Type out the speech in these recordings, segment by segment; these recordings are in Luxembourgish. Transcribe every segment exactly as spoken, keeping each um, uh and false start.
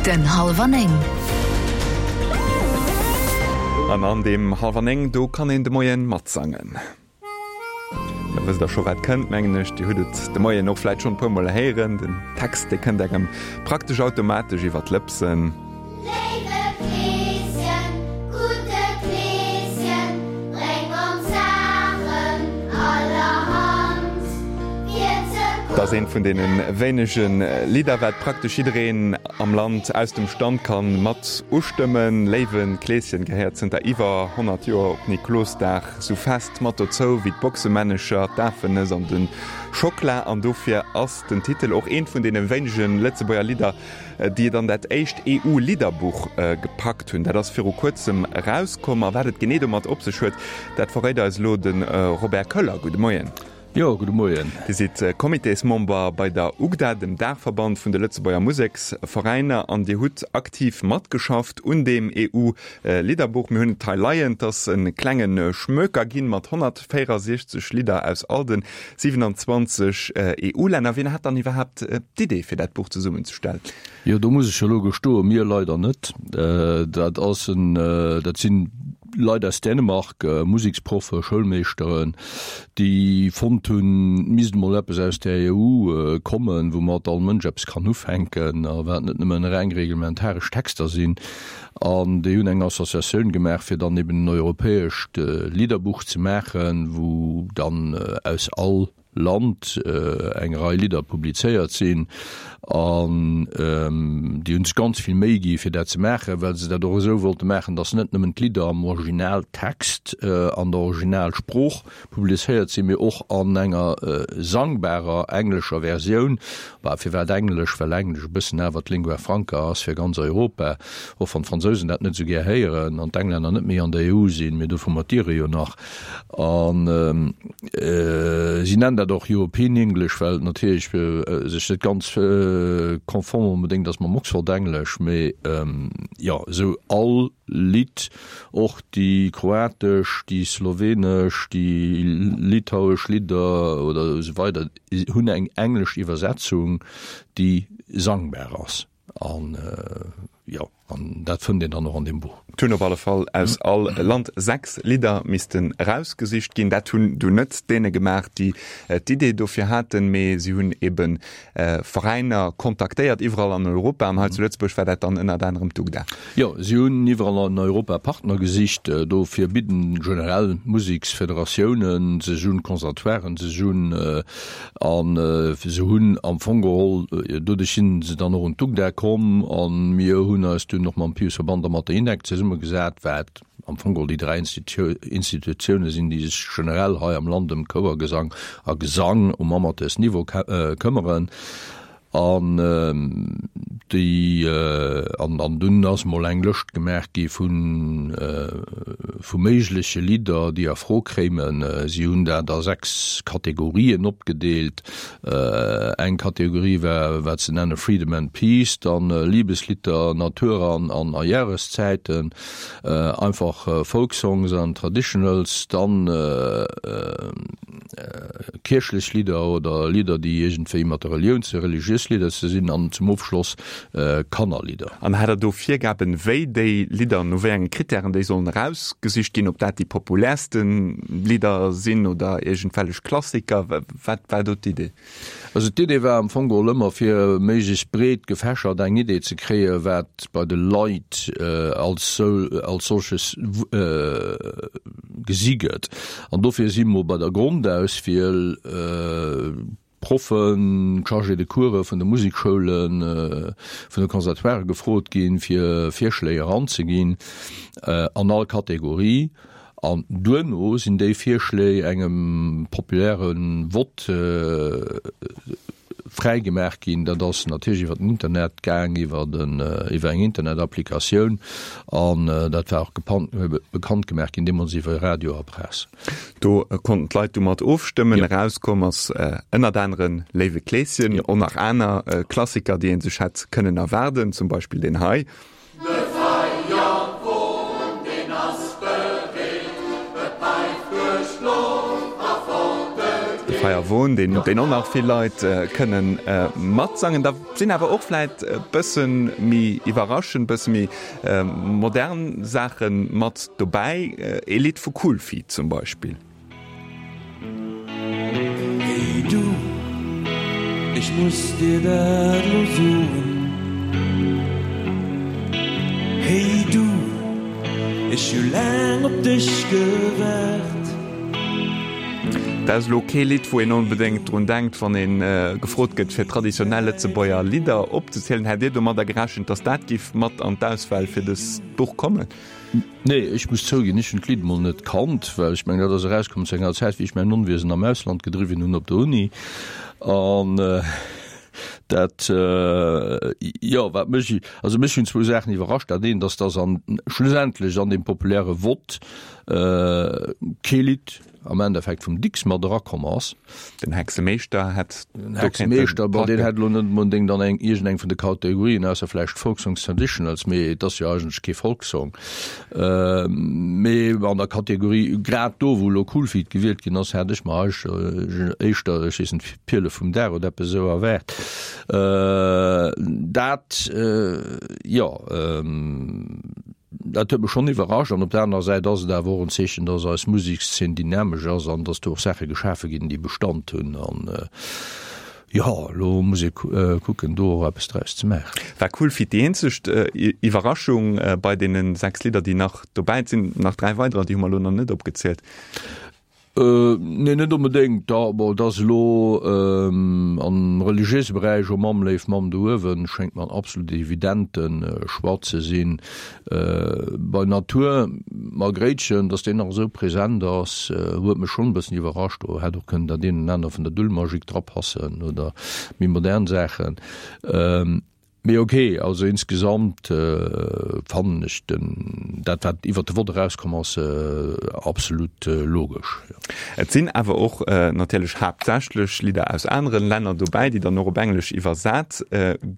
Den Hallwer Néng. An an deem Hallwer Néng, do kann een de Moien matsangen. Da wësst der scho wat kënnt, mengen ech. Dir hutt et de Moien och vläit schonn e puer Mol héieren. Den Text, dee kënnt engem praktesch automatesch iwwer d'Lëpsen. Léiwe Kleeschen, gudde Kleeschen, bréng ons Saachen allerhand, fir ze Et ass eent vun deene wéinege Lidder, wat praktesch jiddereen am Land aus dem Stand kann mat ustëmmen. Léiwe Kleeschen gehéiert zënter iwwer honnert Joer op Niklosdag sou fest mat dozou wéi d'Boxemännecher, d'Afennëss an de Schokla. An dofir ass den Titel och eent vun deene wéinege Lëtzebuerger Lidder, déi et an dat éischt EU-Lidderbuch gepackt hunn. Dat ass viru kuerzem erauskomm. A wat et genee domat op sech huet, dat verréit eis elo de Robert Köller. Gudde Moien. Jo, gudde Moien. Dir sidd Comitésmember bei der UGDA, dem Daachverband vun de Lëtzebuerger Museksveräiner, an Dir hutt aktiv matgeschafft un deem EU-Lidderbuch. Mir hunn et hei leien. Et ass e klenge Schmöker ginn mat honnertvéierundsechzeg Lidder aus all de siewenundzwanzeg EU-Länner. Wien hat dann iwwerhaapt d'Idee, fir dat Buch zesummenzestellen? Jo, do muss ech elo gestoen, mir leider net. Dat ass en, dat sinn Leit aus Dänemark, Museksproffe, Schoulmeeschteren, déi fonnt hunn, et misst emol eppes aus der E U kommen, woumat all Mënsch eppes kann ufänken a wat net nëmmen reng reglementaresch Texter sinn. An déi hunn eng Associatioun gemaach, fir dann eben en europäescht Lidderbuch ze maachen, wou dann aus all Land eng Rei Lidder publizéiert sinn. An déi hunn sech ganz vill Méi gi fir dat ze maachen, well se dat och esou wollte maachen, datt net nëmmen d'Lidder am Originaltext an der Originalsprooch publizéiert sinn, mee och an enger sangbarer englescher Versioun. Bah, firwat Englesch? Well Englesch e bëssen awer d'Lingua franca ass fir ganz Europa, och wann d'Fransousen dat net esou gär héieren an d'Englänner net méi an der E U sinn, mee dovun mat Iere jo nach. An si nennen dat och European English, well et natierlech sech net ganz konform onbedéngt ass mam Oxford Englesch, mee jo, esou all Lidd, och déi kroatesch, déi slowenesch, déi litauesch Lidder oder esou weider hunn eng englesch Iwwersetzung, déi sangbar ass. An jo, an dat fënnt een dann och an deem Buch. Et hunn op alle Fall aus all Land sechs Lidder missten erausgesicht ginn. Dat hunn dunn net d'Däne gemaach, déi d'Idee dofir haten, mee si hunn ebe Veräiner kontaktéiert iwwerall an Europa. An hei zu Lëtzebuerg war dat dann ënnert anerem d'UGDA. Jo, si hunn iwwerall an Europa Partner gesicht. Dofir bidden generell Museksfederatiounen sech un, Conservatoiren sech un. An se hunn am Fong geholl, doduerch si se dann och un d'UGDA komm a mir hunn eis dunn och mam Piusverband a mat der INEC zesummegesat, wat am Fong geholl déi dräi Institutioune sinn, déi sech generell hei am Land ëm Chouergesang a Gesang um Amateursniveau këmmeren. An déi, an an dunn ass mol eng Lëscht gemaach gi vu vu méigleche Lidder, déi a Fro kéimen. Si hunn dat a sechs Kategorien opgedeelt. Eng Kategorie war wat se nenne Freedom and Peace, dann Liebeslieder, Natur an an a Jahreszäiten, einfach Folksongs an Traditionals, dann kierchlech Lidder oder Lidder, déi iergendwéi mat der Relioun ze, religiös Lidder ze sinn an zum Ofschloss Kannerlidder. An hat Der do Virgaben, wéi déi Lidder, no wéi enge Krittären déi sollen erausgesicht ginn, ob dat déi populärste Lidder sinn oder iergendwellech Klassiker? Wat war do d'Idee? Also d'Idee war am Fong geholl ëmmer, fir méiglechst breet gefächert eng Idee ze kréien, wat bei de Leit als als solches gesi gëtt. An dofir si mer bei der Grondauswiel Proffen, Chargés de cours vun de Musekschoulen, vun de Conservatoiren gefrot ginn, fir Virschléi eranzeginn an all Kategorie. An duerno sinn déi Virschléi engem populäre Vott fräigemaach ginn. Dat ass natierlech iwwer den Internet gaang, iwwer den, iwwer eng Internetapplikatioun. An dat war och bekannt gemaach ginn deemools iwwer Radio a Press. Do konnten d'Leit du mat ofstëmmen. Erauskomm ass ënnert anere Léiwe Kleeschen, och nach aner Klassiker, déi ee sech hätt kënnen erwaarden, zum Beispill deen hei. De Feierwon, deen ass bereet, e päift duerch d'Loft a fort e De geet. Feierwon, deen deen och nach vill Leit kënnen matsangen. Da sinn awer och vläit e bësse méi iwwerraschend, bësse méi modern Saache mat dobäi. Ee Lidd vu Cool Feet zum Beispill. Hey du, ech muss dir dat lo soen. Hey du, ech hu laang op dech gewaart. Dat ass elo kee Lidd, wou een onbedéngt drun denkt, wann ee gefrot gëtt, fir traditionell Lëtzebuerger Lidder opzezielen. Hätt Dir domadder gerechent, datt dat giff mat an d'Auswahl fir dëst Buch kommen? Nee, ech muss zouginn, ech hunn d'Lidd mol net kannt, well ech mengen, dat ass erauskomm zu enger Zäit, wéi ech mäin Onwiesen am Ausland gedriwwen hunn op der Uni. An dat, jo, wat mech, also mech hunn zwou Saachen iwwerrascht. Dat eent ass, datt an, schlussendlech an deem populäre Vott kee Lidd am Endeffekt vum Dicks mat erakomm ass. Den Hexemeeschter hätt Den Hexemeeschter, bon, deen hätt elo net onbedéngt an eng, iergendeng vun de Kategorien, ausser vläicht Folksongs Traditionals, mee et ass jo eigentlech kee Folksong. Mee an der Kategorie, grad do, wou elo Cool Feet gewielt ginn ass, hätt ech mer éischter, ech weess net, D'Pirle vum Dag oder eppes esou erwaart. Dat, jo. Dat huet mech schonn iwwerrascht. An op der anerer Säit ass et awer och en Zeechen, dass eis Musekszeen dynamesch ass an dass do och Saache geschafe ginn, déi Bestand hunn. An jo, elo muss ee kucken, do och eppes draus ze maachen. War Cool Feet déi eenzeg Iwwerraschung bei deene sechs Lidder, déi nach dobäi sinn? Nach dräi weiderer, déi hu mer elo nach net opgezielt. Nee, net onbedéngt. Da, bon, et ass elo am religiéise Beräich, O Mamm, léif Mamm do uewen, schéngt mer en absolut evidente Choix ze sinn. Bei Natur, Margréitchen, datt deen nach esou present ass, huet mech schonn e bëssen iwwerrascht. Do hätt och kënnen dat een an aner vun der Dulmajik drapassen oder méi modern Saachen. Mee ok, also insgesamt fannen ech den, dat wat iwwert de Vott erauskomm ass, absolut logesch, jo. Et sinn awer och natierlech haaptsächlech Lidder aus aneren Länner dobäi, déi dann och op Englesch iwwersat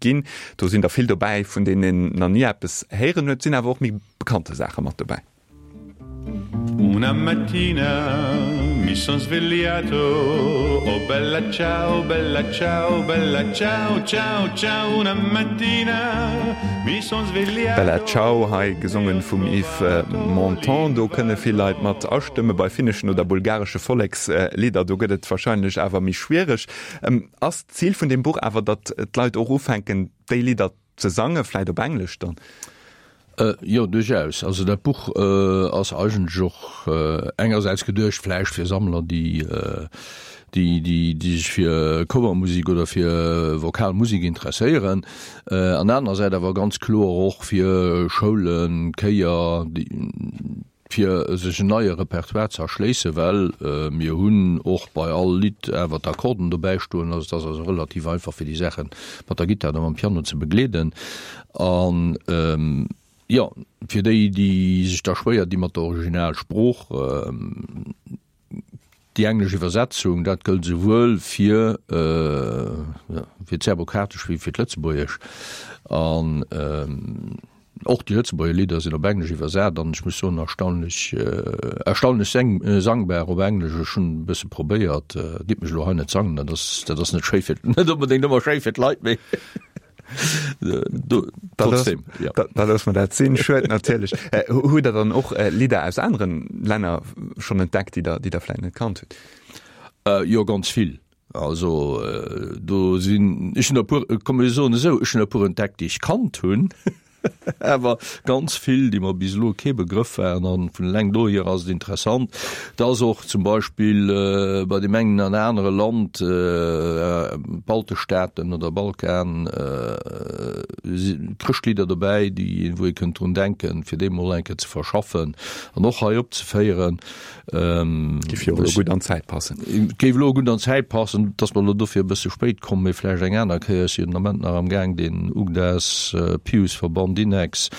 ginn. Do sinn der vill dobäi, vun deenen een nach ni eppes héieren huet. Et sinn awer och méi bekannte Saache mat dobäi. Una mattina mi son svegliato, oh bella ciao, bella ciao, bella ciao, ciao, ciao, una mattina mi son svegliato. Bella ciao, hei gesongen vum Yves Montand. Do kënne vill Leit mat astëmme. Bei finneschen oder bulgaresche Vollekslidder, do gëtt et warscheinlech awer méi schwiereg. Ass d'Zil vun deem Buch awer, datt d'Leit och ufänken, déi Lidder ze sangen, vläit op Englesch dann? Jo, duerchaus. Also dat Buch ass eigentlech och engersäits geduecht vläicht fir Sammler, déi déi déi sech fir Chouermusek oder fir vokal Musek interesséieren, an anerersäits awer ganz kloer och fir Schoulen, Chéier, déi fir sech en neie Repertoire ze erschléissen, well mir hunn och bei all Lidd awer d'Akkorden dobäi stoen, also et ass also relativ einfach fir déi Saache mat der Gittar oder mam Piano ze begleeden. An jo, fir déi, déi sech da schwéier di mat der Originalsprooch, déi englesch Iwwersetzung, dat gëllt esouwuel fir fir d'Serbokroatesch wéi fir d'Lëtzebuergesch. An Och déi Lëtzebuerger Lidder sinn op Englesch iwwersat an ech muss soen, erstaunlech, erstaunlech sangbar op Englesch. Ech hunn e bësse probéiert, gitt mech elo hei net sangen, dat ass, dat ass net schéi fir, net onbedéngt ëmmer schéi fir d'Leit, mee trotzdem, jo. Da loosse mer dat sinn. Schued natierlech. Hutt Der dann och Lidder aus aneren Länner schonn entdeckt, déi Der, déi Der vläicht net kannt hutt? Jo, ganz vill. Also do sinn, ech hunn der e puer, komm mir soen esou, ech hunn der e puer entdeckt, déi ech kannt hunn, awer ganz vill, déi mer bis elo kee Begrëff waren. An vun eleng dohier ass et interessant, dass och zum Beispill bei deem engen an anere Land, Baltestaaten oder Balkan, si Chrëschtlidder dobäi, déi, wou ee kënnt drun denken, fir déi mol eng Kéier ze verschaffen an och hei opzeféieren. Géif jo elo gutt an d'Zäit passen. Géif elo gutt an d'Zäit passen. Et ass mer elo dofir e bësse spéit komm, mee vläicht eng aner Kéier. Ech sinn den Ament nach am Gaang, den UGDAS Piusverband Inex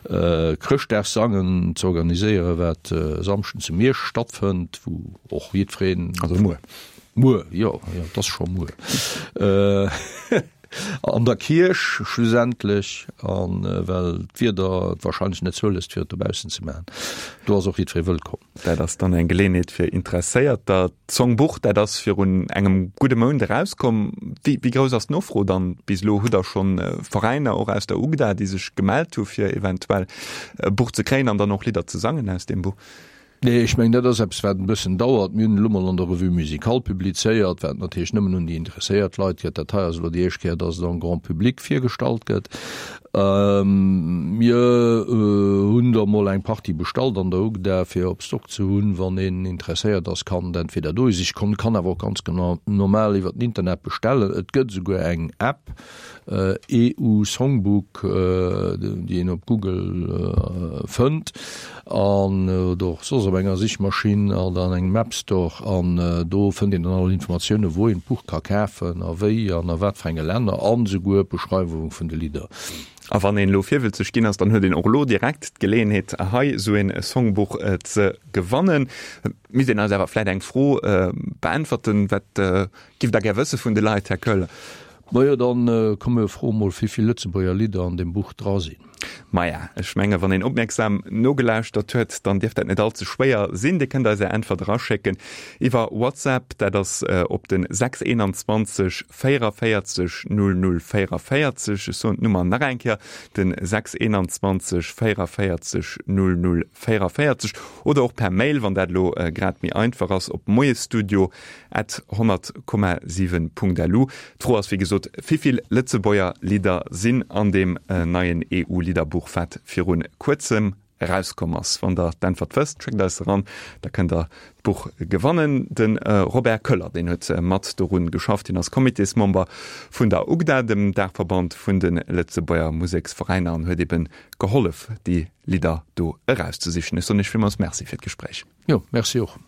Chrëschtdagssangen ze organiséieren, wat e Samschden zu Miersch stattfënnt, wou och jiddwereen. Also muer. Muer, jo, jo, et ass scho muer. An der Kierch schlussendlech, an well d'Wieder et wahrscheinlech net zouléisst fir et dobaussen ze maachen. Do ass och jiddweree wëllkomm. Dat ass dann eng Geleeënheet fir Interesséierter. D'Songbuch, dat ass virun engem gudde Mount erauskomm. Wéi, wéi grouss ass d'Nofro dann bis elo? Hutt Der schonn Veräiner och aus der UGDA, déi sech gemellt hu fir eventuell e Buch ze kréien an dann och Lidder ze sangen aus deem Buch? Nee, ech mengen, dat ass eppes, wat en bëssen dauert. Mir hunn elo mol an der Revue Musicale publizéiert, wat natierlech nëmmen un déi interesséiert Leit geet. Dat hei ass elo déi éischt Kéier, dass et am Grand public virgestallt gëtt. Mir hunn der mol eng Partie bestallt an der UGDA, fir op Stock ze hunn. Wann een interesséiert ass, kann et entweder dohi siche kommen, kann awer och ganz normal iwwer den Internet bestellen. Et gëtt esouguer eng App, EU Songbook, déi een op Google fënnt an oder och soss op enger Sichmaschinn oder an engem App Store an do fënnt een dann all Informatiounen, wou een d'Buch ka kafen a wéi an a wat fir enge Länner an esouguer d'Beschreiwung vun de Lidder. A wann een elo virwëlzeg ginn ass, dann huet een och elo direkt d'Geleeënheet hei esou een Songbuch ze gewannen. Misst een eis awer vläit eng Fro beäntwerten, Wat giff Der gär wësse vun de Leit, Här Koeller? Majo, dann komm mir froe mol wéivill Lëtzebuerger Lidder an deem Buch dra sinn. Maja, ech menge wann een opmierksam nogelauschtert huet, dann dierft dat net all ze schwéier sinn. Dir kënnt eis är Äntwert eraschécken iwwer WhatsApp, dat ass op den sechs einundzwanzeg véierundvéierzeg null null véierundvéierzeg. Ech soen d'Nummer nach eng Kéier, den sechs einundzwanzeg véierundvéierzeg null null véierundvéierzeg oder och per Mail, wann dat elo grad méi einfach ass, op moiesstudio at honnert Komma siwen Punkt lu. D'Fro ass wéi gesot, Wivill Lëtzebuerger Lidder sinn an deem neien E U-Lidderbuch, wat virun kuerzem erauskomm ass? Wann der d'Äntwert wësst, schéckt eis se eran, da kënnt der d'Buch gewannen. De Robert Köller, deen huet mat dorun geschafft, hien ass Comitésmember vun der UGDA, dem Daachverband vun de Lëtzebuerger Museksveräiner, an huet eben gehollef, déi Lidder do erauszesichen. Ech soen Iech villmools Merci fir d'Gespréich. Jo, Merci och.